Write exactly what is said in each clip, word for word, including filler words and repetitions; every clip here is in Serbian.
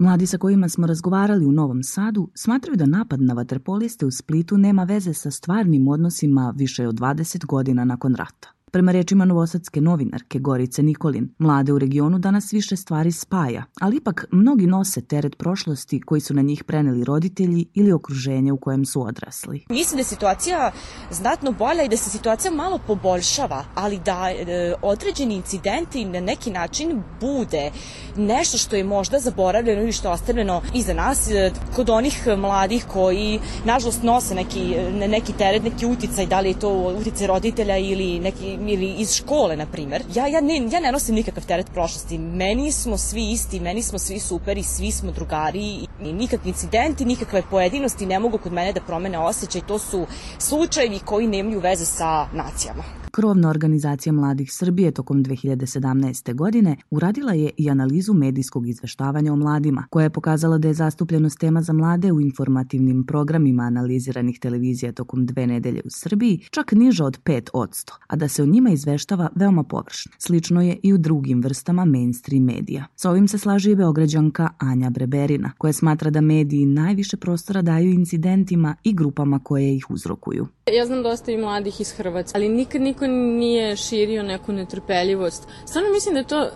Mladi sa kojima smo razgovarali u Novom Sadu smatraju da napad na vaterpoliste u Splitu nema veze sa stvarnim odnosima više od dvadeset godina nakon rata. Prema rečima novosadske novinarke Gorice Nikolin, mlade u regionu danas više stvari spaja, ali ipak mnogi nose teret prošlosti koji su na njih preneli roditelji ili okruženje u kojem su odrasli. Mislim da je situacija znatno bolja i da se situacija malo poboljšava, ali da e, određeni incidenti na neki način bude nešto što je možda zaboravljeno ili što je ostavljeno iza nas e, kod onih mladih koji nažalost nose neki, neki teret, neki uticaj, da li je to uticaj roditelja ili neki ili iz škole, na primjer. Ja, ja, ne, ja ne nosim nikakav teret prošlosti. Meni smo svi isti, meni smo svi superi, svi smo drugari i nikakvi incidenti, nikakve pojedinosti ne mogu kod mene da promene osjećaj. To su slučajevi koji nemaju veze sa nacijama. Krovna organizacija mladih Srbije tokom dve hiljade sedamnaeste. godine uradila je i analizu medijskog izveštavanja o mladima, koja je pokazala da je zastupljenost tema za mlade u informativnim programima analiziranih televizija tokom dve nedelje u Srbiji čak niža od pet posto, a da se o njima izveštava veoma površno. Slično je i u drugim vrstama mainstream medija. Sa ovim se slaže i Beograđanka Anja Breberina, koja smatra da mediji najviše prostora daju incidentima i grupama koje ih uzrokuju. Ja znam dosta i mladih iz Hrvatske, ali nikad niko nije širio neku netrpeljivost. Stvarno mislim da je to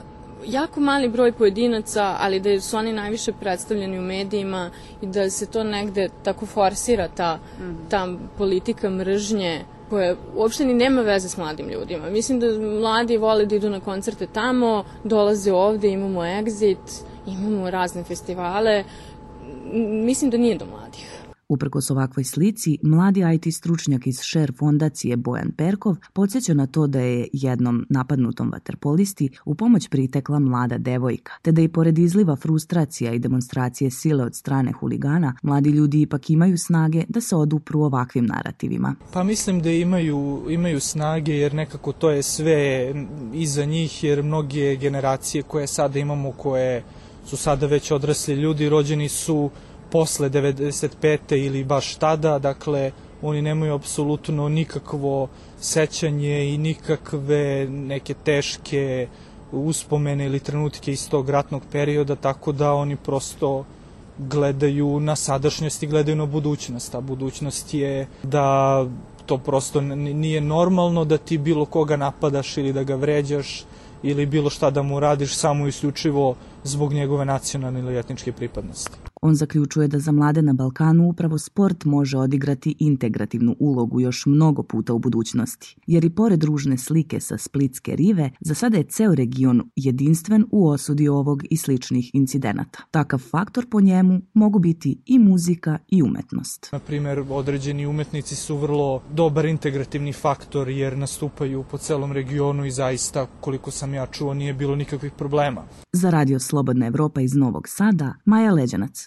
jako mali broj pojedinaca, ali da su oni najviše predstavljeni u medijima i da se to negde tako forsira ta, ta politika mržnje koja uopšte ni nema veze s mladim ljudima. Mislim da mladi vole da idu na koncerte tamo, dolaze ovde, imamo Exit, imamo razne festivale. Mislim da nije do mladih. Uprkos ovakvoj slici, mladi I T stručnjak iz Share fondacije Bojan Perkov podsjeća na to da je jednom napadnutom vaterpolisti u pomoć pritekla mlada devojka, te da i pored izliva frustracija i demonstracije sile od strane huligana, mladi ljudi ipak imaju snage da se odupru ovakvim narativima. Pa mislim da imaju, imaju snage jer nekako to je sve iza njih, jer mnoge generacije koje sada imamo, koje su sada već odrasli ljudi, rođeni su posle devedeset pete ili baš tada, dakle oni nemaju apsolutno nikakvo sećanje i nikakve neke teške uspomene ili trenutke iz tog ratnog perioda, tako da oni prosto gledaju na sadašnjost i gledaju na budućnost. A budućnost je da to prosto nije normalno da ti bilo koga napadaš ili da ga vređaš ili bilo šta da mu radiš samo isključivo zbog njegove nacionalne ili etničke pripadnosti. On zaključuje da za mlade na Balkanu upravo sport može odigrati integrativnu ulogu još mnogo puta u budućnosti, jer i pored ružne slike sa splitske rive, za sada je ceo region jedinstven u osudi ovog i sličnih incidenata. Takav faktor po njemu mogu biti i muzika i umetnost. Na primjer, određeni umetnici su vrlo dobar integrativni faktor jer nastupaju po celom regionu i zaista, koliko sam ja čuo, nije bilo nikakvih problema. Za Radio Slobodna Evropa iz Novog Sada, Maja Leđanac.